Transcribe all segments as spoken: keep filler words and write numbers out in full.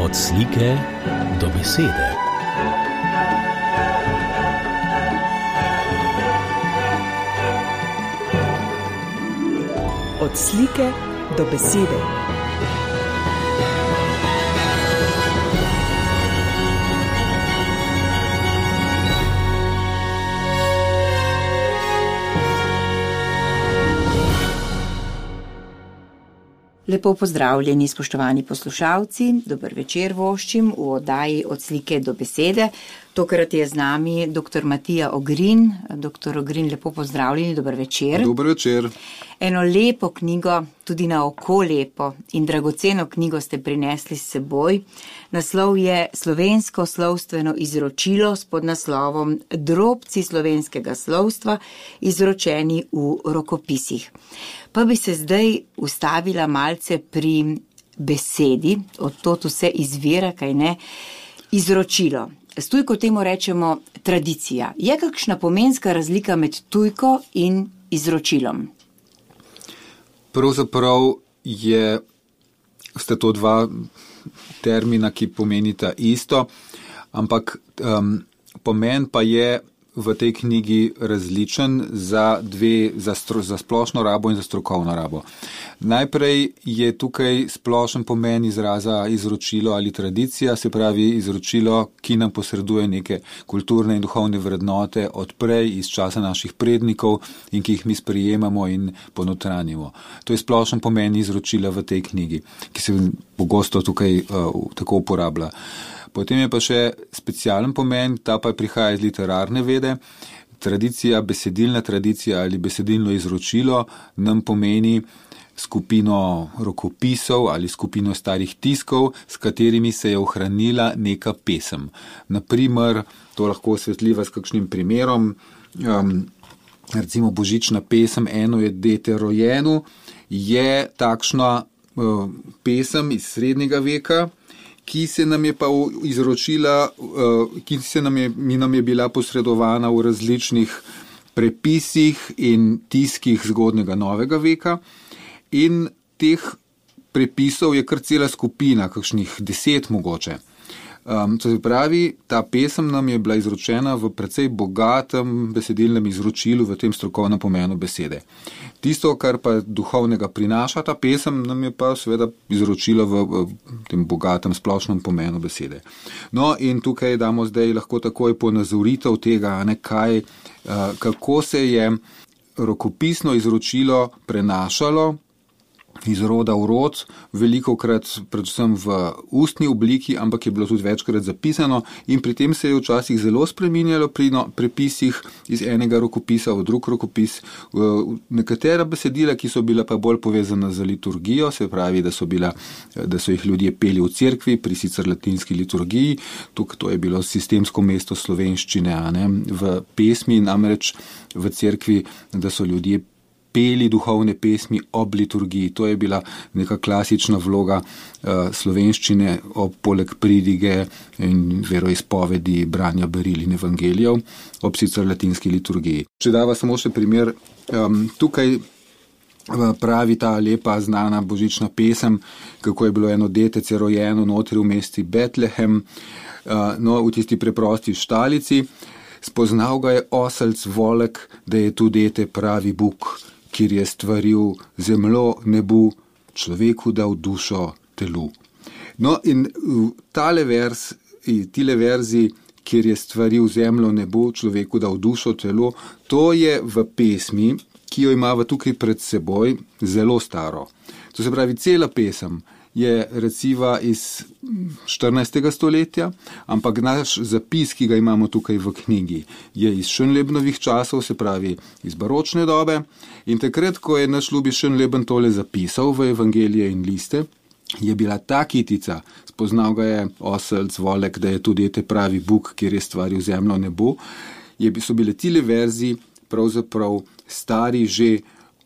Od slike do besede. Od slike do besede. Lepo pozdravljeni, spoštovani poslušalci, dober večer voščim v oddaji Od slike do besede. Tokrat je z nami doktor Matija Ogrin. Doktor Ogrin, lepo pozdravljeni, dober večer. Dober večer. Eno lepo knjigo, tudi na oko lepo in dragoceno knjigo ste prinesli s seboj. Naslov je Slovensko slovstveno izročilo s podnaslovom Drobci slovenskega slovstva, izročeni v rokopisih. Pa bi se zdaj ustavila malce pri besedi, od tod vse izvira, kaj ne, izročilo. S tujko temu rečemo tradicija. Je kakšna pomenska razlika med tujko in izročilom? Pravzaprav je, sta to dva termina, ki pomenita isto, ampak um, pomen pa je v tej knjigi različen za dve, za, stro, za splošno rabo in za strokovno rabo. Najprej je tukaj splošen pomen izraza izročilo ali tradicija, se pravi izročilo, ki nam posreduje neke kulturne in duhovne vrednote od prej iz časa naših prednikov in ki jih mi sprejemamo in ponotranjimo. To je splošen pomen izročila v tej knjigi, ki se pogosto tukaj uh, tako uporablja. Potem je pa še specialen pomen, ta pa prihaja iz literarne vede. Tradicija, besedilna tradicija ali besedilno izročilo nam pomeni skupino rokopisov ali skupino starih tiskov, s katerimi se je ohranila neka pesem. Naprimer, to lahko osvetljiva s kakšnim primerom, um, recimo božična pesem Eno je dete rojeno, je takšna uh, pesem iz srednjega veka, ki se nam je pa izročila, ki se nam je, mi nam je bila posredovana v različnih prepisih in tiskih zgodnega novega veka. In teh prepisov je kar cela skupina, kakšnih deset mogoče. Um, to se pravi, ta pesem nam je bila izročena v precej bogatem besedilnem izročilu v tem strokovnem pomenu besede. Tisto, kar pa duhovnega prinaša ta pesem, nam je pa seveda izročilo v, v tem bogatem splošnem pomenu besede. No in tukaj damo zdaj lahko takoj ponazoritev tega, ne, kaj, uh, kako se je rokopisno izročilo prenašalo iz roda v rod, velikokrat predvsem v ustni obliki, ampak je bilo tudi večkrat zapisano in pri tem se je včasih zelo spreminjalo pri no, prepisih iz enega rokopisa v drug rokopis. Nekatera besedila, ki so bila pa bolj povezana z liturgijo, se pravi, da so, bila, da so jih ljudje peli v cerkvi pri sicer latinski liturgiji, tukaj to je bilo sistemsko mesto slovenščine, a ne, v pesmi, namreč v cerkvi, da so ljudje peli duhovne pesmi ob liturgiji. To je bila neka klasična vloga uh, slovenščine ob poleg pridige in veroizpovedi, branja beril in evangelijev ob sicer latinski liturgiji. Če dava samo še primer, um, tukaj pravi ta lepa znana božična pesem, kako je bilo eno detece rojeno notri v mesti Betlehem, uh, no, v tisti preprosti štalici. Spoznal ga je oselc volek, da je tu dete pravi Bog, kjer je stvaril zemljo nebu, človeku dal dušo telu. No in tale vers, tile verzi, kjer je stvaril zemljo nebu, človeku dal dušo telu, to je v pesmi, ki jo imava tukaj pred seboj, zelo staro. To se pravi, cela pesem je reciva iz štirinajstega stoletja, ampak naš zapis, ki ga imamo tukaj v knjigi, je iz Schönlebenovih časov, se pravi iz baročne dobe. In takrat, ko je naš ljubi Schönleben tole zapisal v evangelije in liste, je bila ta kitica, spoznal ga je oselc volek, da je tu dete pravi Bog, kjer je stvaril zemljo nebo, je, so bile tile verzi pravzaprav stari že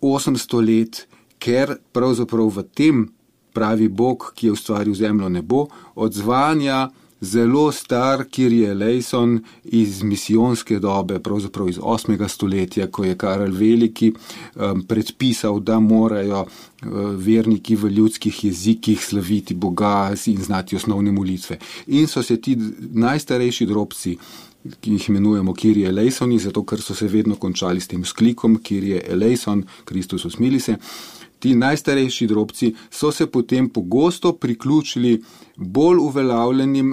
osemsto let, ker pravzaprav v tem pravi Bog, ki je ustvaril zemljo nebo, odzvanja zelo star Kyrie eleison iz misijonske dobe, pravzaprav iz osmega stoletja, ko je Karel Veliki um, predpisal, da morajo uh, verniki v ljudskih jezikih slaviti Boga in znati osnovne molitve. In so se ti najstarejši drobci, ki jih imenujemo Kyrie eleisoni, zato ker so se vedno končali s tem sklikom Kyrie eleison, Kristus usmili se. Ti najstarejši drobci so se potem pogosto priključili bolj uveljavljenim,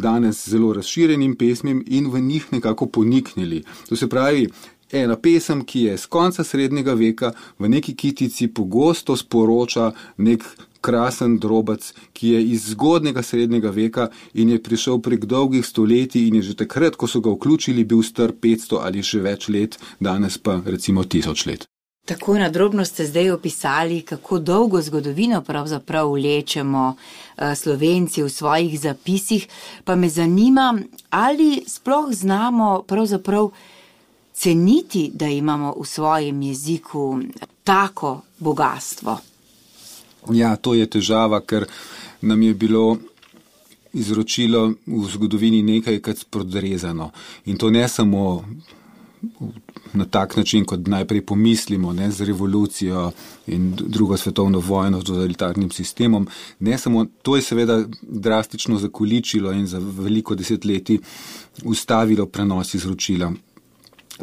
danes zelo razširjenim pesmim in v njih nekako poniknili. To se pravi, ena pesem, ki je z konca srednjega veka v neki kitici pogosto sporoča nek krasen drobec, ki je iz zgodnega srednjega veka in je prišel prek dolgih stoletij in je že takrat, ko so ga vključili, bil star petsto ali še več let, danes pa recimo tisoč let. Tako nadrobno ste zdaj opisali, kako dolgo zgodovino pravzaprav vlečemo Slovenci v svojih zapisih, pa me zanima, ali sploh znamo pravzaprav ceniti, da imamo v svojem jeziku tako bogatstvo. Ja, to je težava, ker nam je bilo izročilo v zgodovini nekajkrat spodrezano. In to ne samo na tak način, kot najprej pomislimo, ne, z revolucijo in drugo svetovno vojno, z totalitarnim sistemom. Ne samo, to je seveda drastično zakoličilo in za veliko desetletij ustavilo prenos izročila.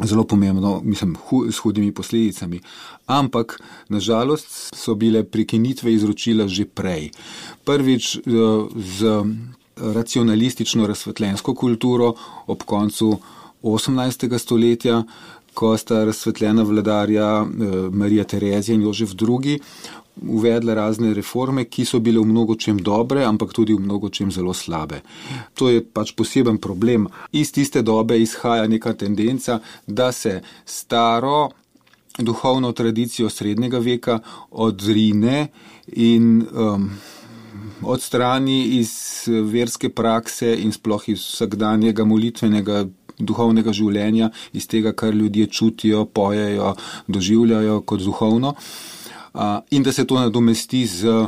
Zelo pomembno, mislim, hu, s hudimi posledicami. Ampak, nažalost, so bile prekinitve izročila že prej. Prvič z racionalistično razsvetljensko kulturo ob koncu osemnajstega stoletja, ko sta razsvetljena vladarja Marija Terezija in Jožef drugi uvedla razne reforme, ki so bile v mnogočem dobre, ampak tudi v mnogočem zelo slabe. To je pač poseben problem. Iz tiste dobe izhaja neka tendenca, da se staro duhovno tradicijo srednjega veka odrine in um, odstrani iz verske prakse in sploh iz vsakdanjega molitvenega duhovnega življenja, iz tega, kar ljudje čutijo, pojejo, doživljajo kot duhovno, in da se to nadomesti z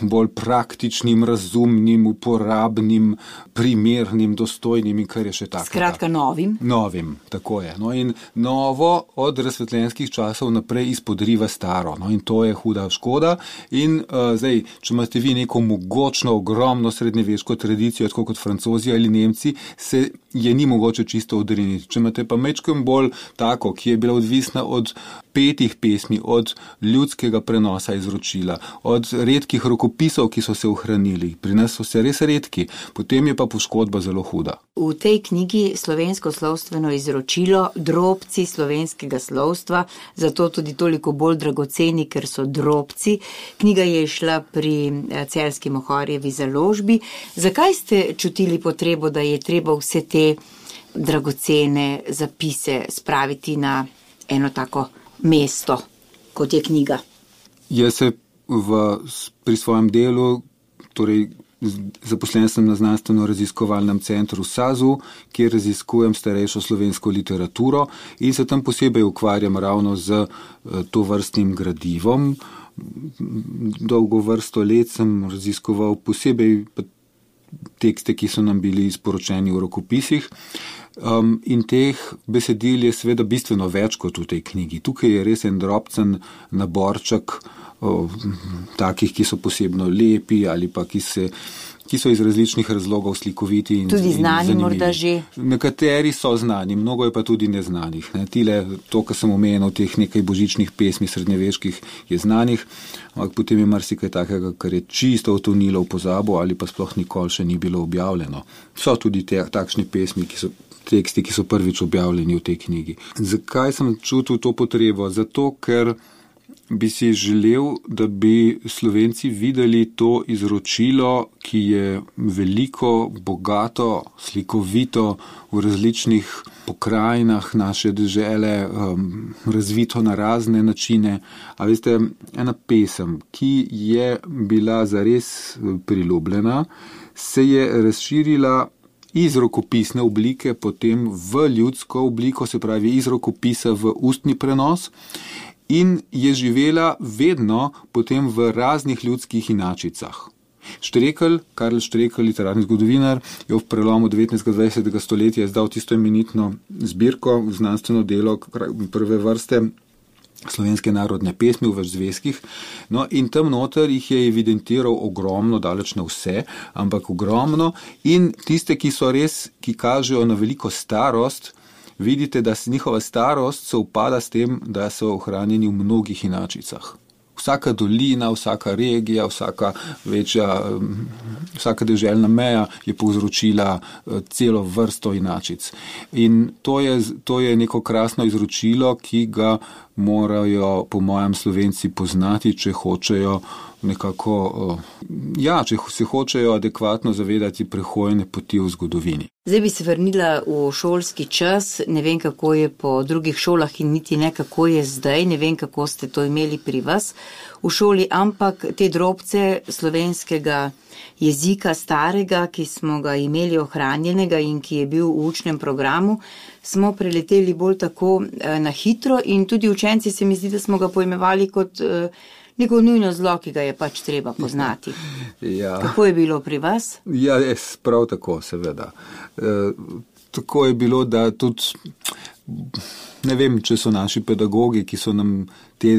bolj praktičnim, razumnim, uporabnim, primernim, dostojnim in kar je še tako. Skratka, novim. Novim, tako je. No, in novo od razsvetljenskih časov naprej izpodriva staro. No, in to je huda škoda. In uh, zdaj, če imate vi neko mogočno, ogromno srednjeveško tradicijo, tako kot Francozi ali Nemci, se je ni mogoče čisto odriniti. Če imate pa mečkem bolj tako, ki je bila odvisna od petih pesmi, od ljudskega prenosa izročila, od redkih rokopisov, ki so se ohranili. Pri nas so se res redki, potem je pa poškodba zelo huda. V tej knjigi Slovensko slovstveno izročilo, drobci slovenskega slovstva, zato tudi toliko bolj dragoceni, ker so drobci. Knjiga je šla pri Celjski Mohorjevi založbi. Zakaj ste čutili potrebo, da je treba vse te dragocene zapise spraviti na eno tako mesto, kot je knjiga? Jaz se v, pri svojem delu, torej zaposlen sem na znanstveno-raziskovalnem centru SAZU, kjer raziskujem starejšo slovensko literaturo in se tam posebej ukvarjam ravno z to vrstnim gradivom. Dolgo vrsto let sem raziskoval posebej tekste, ki so nam bili sporočeni v rokopisih. Um, in teh besedil je seveda bistveno več kot v tej knjigi. Tukaj je res en drobcen naborček o, takih, ki so posebno lepi ali pa ki, se, ki so iz različnih razlogov slikoviti in tudi znani in morda že. Nekateri so znani, mnogo je pa tudi neznanih. Ne. Tile, to, kar sem omenil, teh nekaj božičnih pesmi srednjeveških je znanih, ampak potem je marsikaj takega, kar je čisto utonilo v pozabo ali pa sploh nikoli še ni bilo objavljeno. So tudi te, takšne pesmi, ki so teksti, ki so prvič objavljeni v tej knjigi. Zakaj sem čutil to potrebo? Zato, ker bi si želel, da bi Slovenci videli to izročilo, ki je veliko, bogato, slikovito v različnih pokrajinah naše dežele, um, razvito na razne načine. A veste, ena pesem, ki je bila zares priljubljena, se je razširila iz rokopisne oblike potem v ljudsko obliko, se pravi iz rokopisa v ustni prenos, in je živela vedno potem v raznih ljudskih inačicah. Štrekelj, Karl Štrekelj, literarni zgodovinar, je v prelomu devetnajstega in dvajsetega stoletja izdal tisto imenitno zbirko, znanstveno delo prve vrste slovenske narodne pesmi v več zvezkih. No, in tam noter jih je evidentiral ogromno, daleč na vse, ampak ogromno. In tiste, ki so res, ki kažejo na veliko starost, vidite, da se njihova starost se upada s tem, da so ohranjeni v mnogih inačicah. Vsaka dolina, vsaka regija, vsaka večja, vsaka deželna meja je povzročila celo vrsto inačic. In to je, to je neko krasno izročilo, ki ga morajo, po mojem, Slovenci poznati, če hočejo nekako, ja, če se hočejo adekvatno zavedati prehojene poti v zgodovini. Zdaj bi se vrnila v šolski čas, ne vem, kako je po drugih šolah in niti ne, kako je zdaj, ne vem, kako ste to imeli pri vas v šoli, ampak te drobce slovenskega jezika starega, ki smo ga imeli ohranjenega in ki je bil v učnem programu, smo preleteli bolj tako na hitro in tudi učenci se mi zdi, da smo ga pojmevali kot neko nujno zlo, ki ga je pač treba poznati. Ja. Kako je bilo pri vas? Ja, res, prav tako, seveda. E, tako je bilo, da tudi, ne vem, če so naši pedagogi, ki so nam te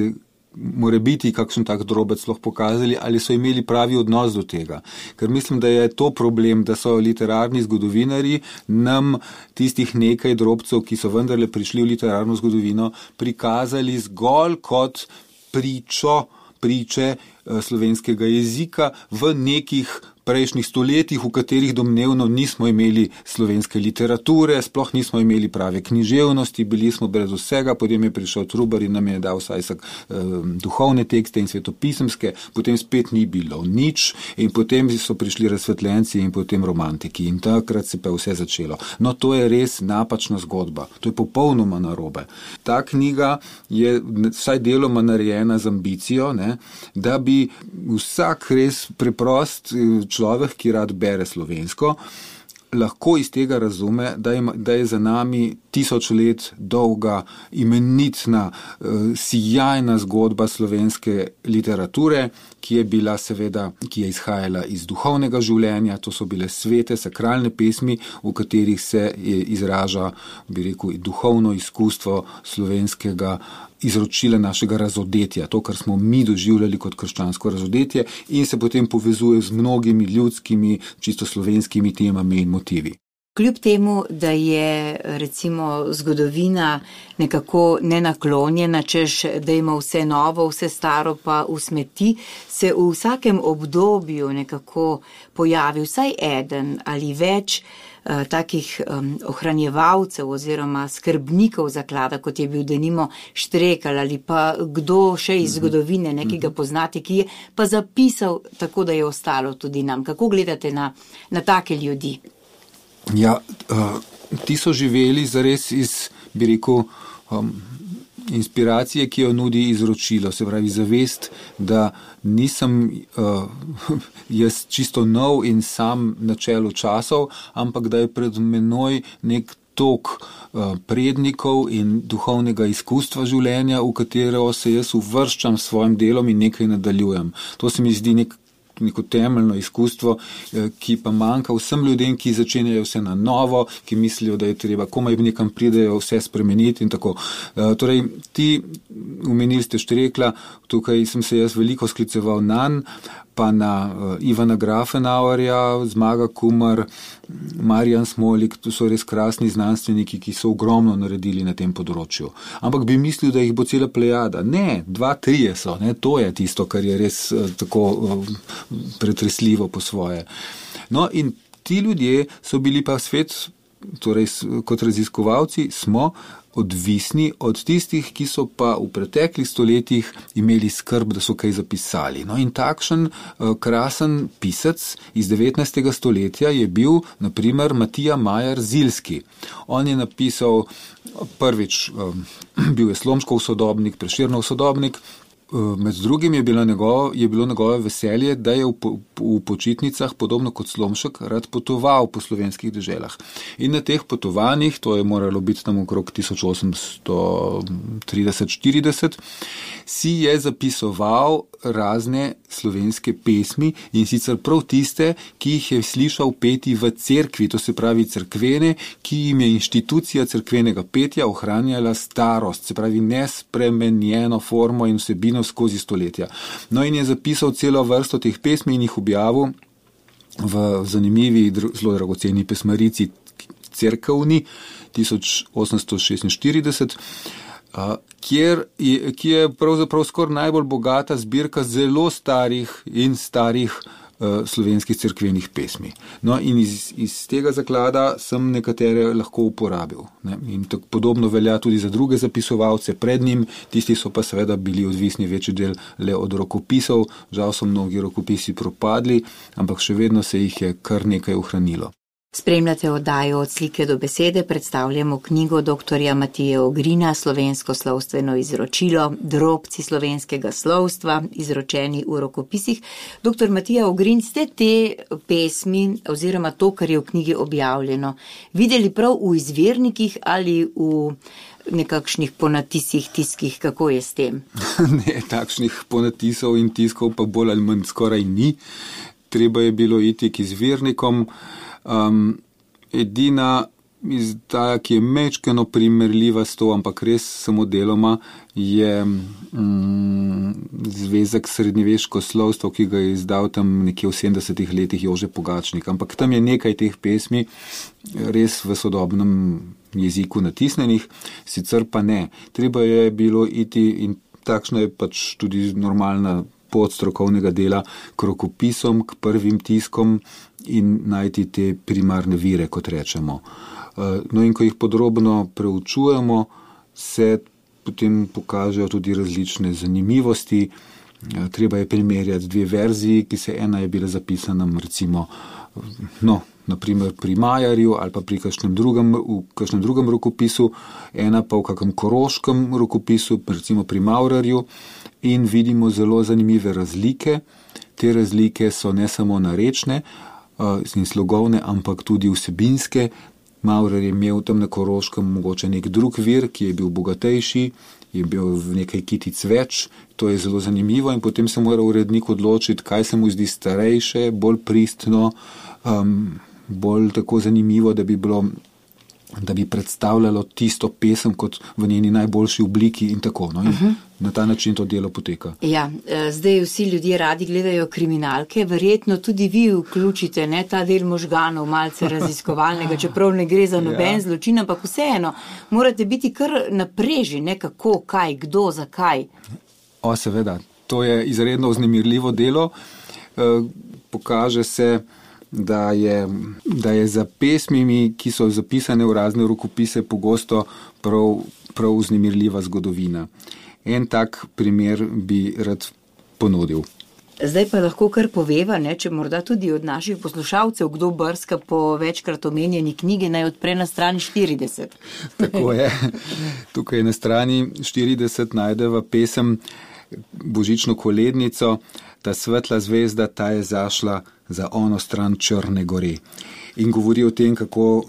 morebiti kakšen tak drobec lahko pokazali, ali so imeli pravi odnos do tega. Ker mislim, da je to problem, da so literarni zgodovinari nam tistih nekaj drobcev, ki so vendarle prišli v literarno zgodovino, prikazali zgolj kot pričo, priče slovenskega jezika v nekih prejšnjih stoletjih, v katerih domnevno nismo imeli slovenske literature, sploh nismo imeli prave književnosti, bili smo brez vsega, potem je prišel Trubar in nam je dal vsaj sak, eh, duhovne tekste in svetopisemske, potem spet ni bilo nič in potem so prišli razsvetljenci in potem romantiki in takrat se pa vse začelo. No, to je res napačna zgodba, to je popolnoma narobe. Ta knjiga je vsaj deloma narejena z ambicijo, ne, da bi vsak res preprost človek, ki rad bere slovensko, lahko iz tega razume, da je, da je za nami tisoč let dolga, imenitna, sijajna zgodba slovenske literature, ki je bila seveda, ki je izhajala iz duhovnega življenja, to so bile svete, sakralne pesmi, v katerih se izraža, bi rekel, duhovno izkustvo slovenskega izročila našega razodetja, to, kar smo mi doživljali kot krščansko razodetje in se potem povezuje z mnogimi ljudskimi, čisto slovenskimi temami in motivi. Kljub temu, da je recimo zgodovina nekako nenaklonjena, češ, da ima vse novo, vse staro pa v smeti, se v vsakem obdobju nekako pojavi vsaj eden ali več uh, takih um, ohranjevalcev oziroma skrbnikov zaklada, kot je bil denimo Štrekelj ali pa kdo še iz zgodovine, nekega poznati, ki je pa zapisal tako, da je ostalo tudi nam. Kako gledate na, na take ljudi? Ja, uh, ti so živeli zares iz, bi rekel, um, inspiracije, ki jo nudi izročilo, se pravi zavest, da nisem uh, jaz čisto nov in sam na čelu časov, ampak da je pred menoj nek tok uh, prednikov in duhovnega izkustva življenja, v katero se jaz uvrščam s svojim delom in nekaj nadaljujem. To se mi zdi nek neko temeljno izkustvo, ki pa manjka vsem ljudem, ki začenjajo vse na novo, ki mislijo, da je treba, komaj nekam pridejo vse spremeniti in tako. Torej, ti omenili ste Štrekla, tukaj sem se jaz veliko skliceval nanj, pa na Ivana Grafenauerja, Zmaga Kumar, Marjan Smolik, to so res krasni znanstveniki, ki so ogromno naredili na tem področju. Ampak bi mislil, da jih bo cela plejada. Ne, dva, trije so, ne, to je tisto, kar je res tako pretresljivo po svoje. No in ti ljudje so bili pa svet, torej kot raziskovalci smo odvisni od tistih, ki so pa v preteklih stoletjih imeli skrb, da so kaj zapisali. No in takšen uh, krasen pisec iz devetnajstega stoletja je bil, na primer, Matija Majer Ziljski. On je napisal prvič, um, bil je Slomškov sodobnik, Prešernov sodobnik. Med drugim je bilo njegovo, je bilo njegovo veselje, da je v, po, v počitnicah, podobno kot Slomšek, rad potoval po slovenskih deželah. In na teh potovanjih, to je moralo biti tam okrog tisoč osemsto trideset štirideset, si je zapisoval razne slovenske pesmi in sicer prav tiste, ki jih je slišal peti v cerkvi, to se pravi cerkvene, ki jim je inštitucija cerkvenega petja ohranjala starost, se pravi nespremenjeno formo in vsebino skozi stoletja. No in je zapisal celo vrsto teh pesmi in jih objavil v zanimivi, zelo dragoceni pesmarici Cerkevni tisoč osemsto šestinštirideset, kjer je, ki je pravzaprav skoraj najbolj bogata zbirka zelo starih in starih uh, slovenskih cerkvenih pesmi. No in iz, iz tega zaklada sem nekatere lahko uporabil. Ne? In tako podobno velja tudi za druge zapisovalce pred njim, tisti so pa seveda bili odvisni večji del le od rokopisov, žal so mnogi rokopisi propadli, ampak še vedno se jih je kar nekaj ohranilo. Spremljate oddajo Od slike do besede, predstavljamo knjigo doktorja Matije Ogrina, Slovensko slovstveno izročilo, drobci slovenskega slovstva, izročeni v rokopisih. Doktor Matija Ogrin, ste te pesmi oziroma to, kar je v knjigi objavljeno, videli prav v izvirnikih ali v nekakšnih ponatisih, tiskih, kako je s tem? Ne, takšnih ponatisov in tiskov pa bolj ali manj skoraj ni. Treba je bilo iti k izvirnikom. Um, edina izdaja, ki je mečkeno primerljiva s to, ampak res samo deloma, je um, zvezek srednjeveško slovstvo, ki ga je izdal tam nekje v sedemdesetih letih Jože Pogačnik. Ampak tam je nekaj teh pesmi res v sodobnem jeziku natisnenih, sicer pa ne. Treba je bilo iti, in takšna je pač tudi normalna pot strokovnega dela, k rokopisom, k prvim tiskom in najti te primarne vire, kot rečemo. No in ko jih podrobno preučujemo, se potem pokažejo tudi različne zanimivosti. Treba je primerjati dve verziji, ki se ena je bila zapisana recimo, no, naprimer pri Majarju ali pa pri kakšnem drugem, v kakšnem drugem rokopisu, ena pa v kakšnem koroškem rokopisu, recimo pri Maurerju, in vidimo zelo zanimive razlike. Te razlike so ne samo narečne in slogovne, ampak tudi vsebinske. Maurer je imel tam na Koroškem mogoče nek drug vir, ki je bil bogatejši, je bil v nekaj kitic več, to je zelo zanimivo in potem se mora urednik odločiti, kaj se mu zdi starejše, bolj pristno, um, bolj tako zanimivo, da bi bilo, da bi predstavljalo tisto pesem kot v njeni najboljši obliki in tako. No? In uh-huh. Na ta način to delo poteka. Ja, zdaj vsi ljudje radi gledajo kriminalke, verjetno tudi vi vključite ne, ta del možganov, malce raziskovalnega, čeprav ne gre za noben ja. zločin, ampak vseeno, morate biti kar napreži, ne kako, kaj, kdo, zakaj. O, seveda, to je izredno vznemirljivo delo. E, pokaže se, da je, da je za pesmimi, ki so zapisane v razne rokopise, pogosto prav, prav vznemirljiva zgodovina. En tak primer bi rad ponudil. Zdaj pa lahko kar poveva, ne, če morda tudi od naših poslušalcev kdo brska po večkrat omenjeni knjigi, naj odpre na strani štirideset. Tako je. Tukaj na strani štirideset najdeva pesem Božično kolednico, ta svetla zvezda, ta je zašla za ono stran Črne gore. In govori o tem, kako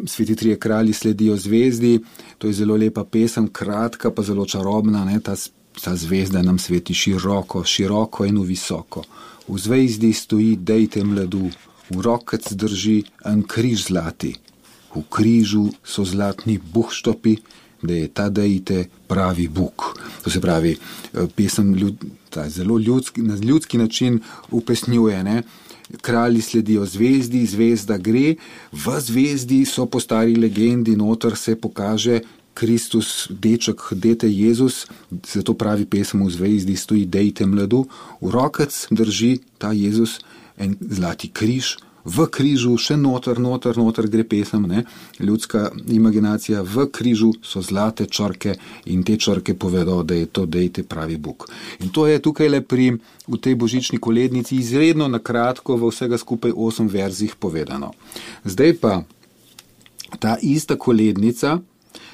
sveti trije kralji sledijo zvezdi. To je zelo lepa pesem, kratka pa zelo čarobna, ne? Ta, ta zvezda nam sveti široko, široko in visoko. V zvezdi stoji dejte mladu, v rokec drži en križ zlati. V križu so zlatni buhštopi, da je ta dejte pravi Bog. To se pravi, pesem ljud, ta zelo ljudski, na ljudski način upesnjuje, ne? Kralji sledijo zvezdi, zvezda gre, v zvezdi so po stari legendi, noter se pokaže Kristus, deček, dete Jezus, zato pravi pesem v zvezdi stoji dejte mladu, v rokec drži ta Jezus en zlati križ, v križu še noter, noter, noter gre pesem, ne? Ljudska imaginacija, v križu so zlate črke in te črke povedo, da je to dejte pravi Bog. In to je tukaj le pri, v tej božični kolednici izredno nakratko v vsega skupaj osem verzih povedano. Zdaj pa ta ista kolednica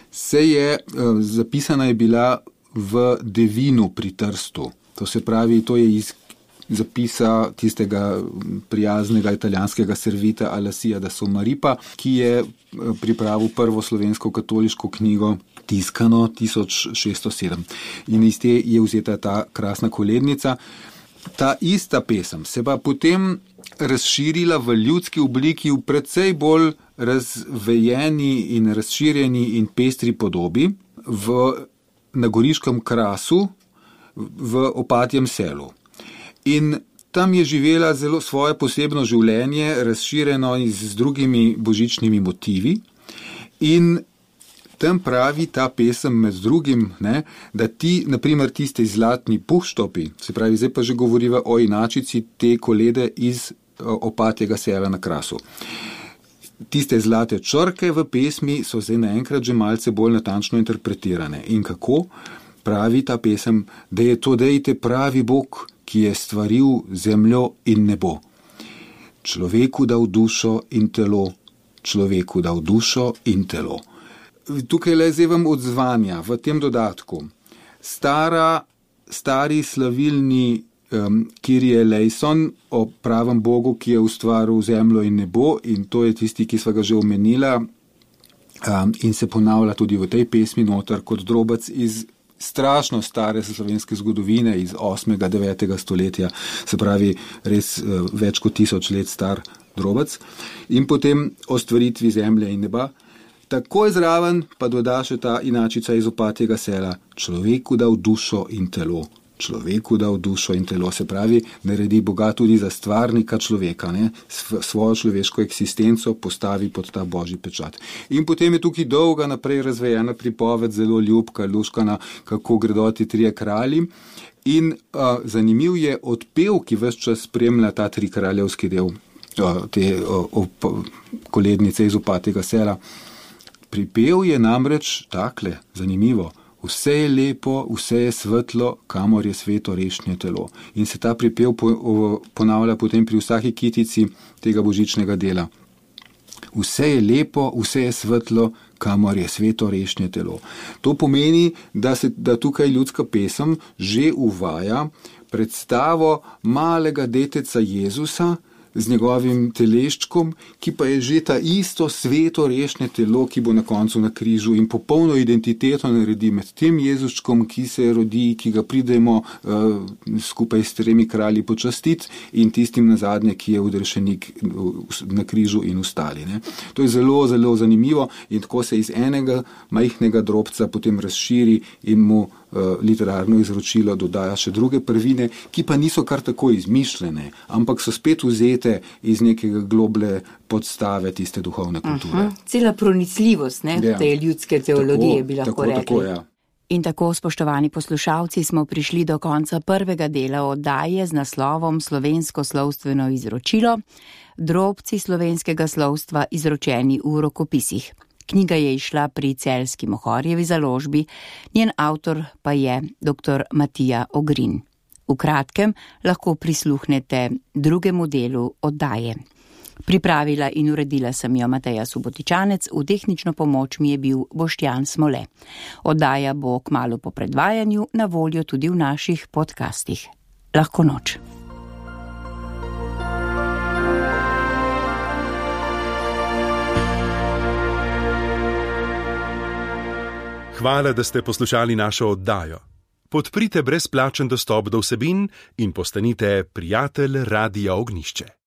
se je, zapisana je bila v Devinu pri Trstu. To se pravi, to je iz zapisa tistega prijaznega italijanskega servita Alasija da Somaripa, ki je pripravil prvo slovensko katoliško knjigo tiskano tisoč šeststo sedem. In iz te je vzeta ta krasna kolednica. Ta ista pesem se pa potem razširila v ljudski obliki v precej bolj razvejeni in razširjeni in pestri podobi v, na Goriškem krasu v Opatjem selu. In tam je živela zelo svoje posebno življenje, razširjeno z drugimi božičnimi motivi. In tam pravi ta pesem med drugim, ne, da ti, naprimer, tiste zlatni puštopi, se pravi, zdaj pa že govoriva o inačici te kolede iz Opatjega sela na Krasu. Tiste zlate črke v pesmi so zdaj naenkrat že malce bolj natančno interpretirane. In kako pravi ta pesem, da je to dejte pravi Bog, ki je stvaril zemljo in nebo. Človeku dal dušo in telo, človeku dal dušo in telo. Tukaj le zdaj vam odzvanja v tem dodatku. Stara, stari slavilni um, Kyrie eleison o pravem Bogu, ki je ustvaril zemljo in nebo, in to je tisti, ki sva ga že omenila um, in se ponavlja tudi v tej pesmi noter kot drobec iz strašno stare slovenske zgodovine iz osmega, devetega stoletja, se pravi res uh, več kot tisoč let star drobec. In potem o stvaritvi zemlje in neba. Takoj zraven pa doda še ta inačica iz Opatjega sela. Človeku dal dušo in telo. Človeku dal dušo in telo. Se pravi, naredi Boga tudi za stvarnika človeka, ne? Svojo človeško eksistenco postavi pod ta božji pečat. In potem je tukaj dolga naprej razvejena pripoved, zelo ljubka, luškana, kako gredo ti trije kralji. In uh, zanimiv je odpev, ki ves čas spremlja ta tri kraljevski del uh, te uh, op, kolednice iz Opatjega sela. Pripev je namreč takle, zanimivo. Vse je lepo, vse je svetlo, kamor je sveto rešnje telo. In se ta pripev ponavlja potem pri vsaki kitici tega božičnega dela. Vse je lepo, vse je svetlo, kamor je sveto rešnje telo. To pomeni, da se da tukaj ljudska pesem že uvaja predstavo malega deteca Jezusa, z njegovim teleščkom, ki pa je že ta isto sveto rešnje telo, ki bo na koncu na križu in popolno identiteto naredi med tem Jezuščkom, ki se rodi, ki ga pridemo uh, skupaj s tremi kralji počastiti in tistim nazadnje, ki je odrešenik na križu in ostali. Ne. To je zelo, zelo zanimivo in tako se iz enega majhnega drobca potem razširi in mu literarno izročilo dodaja še druge prvine, ki pa niso kar tako izmišljene, ampak so spet vzete iz nekega globle podstave tiste duhovne kulture. Aha, cela pronicljivost, ne, ja. Te ljudske teologije, tako, bi lahko tako, rekli. Tako, ja. In tako, spoštovani poslušalci, smo prišli do konca prvega dela oddaje z naslovom Slovensko slovstveno izročilo, drobci slovenskega slovstva izročeni v rokopisih. Knjiga je izšla pri Celjski Mohorjevi založbi, njen avtor pa je doktor Matija Ogrin. V kratkem lahko prisluhnete drugemu delu oddaje. Pripravila in uredila sem jo Mateja Subotičanec, v tehnično pomoč mi je bil Boštjan Smole. Oddaja bo kmalu po predvajanju na voljo tudi v naših podcastih. Lahko noč. Hvala, da ste poslušali našo oddajo. Podprite brezplačen dostop do vsebin in postanite prijatelj Radia Ognjišče.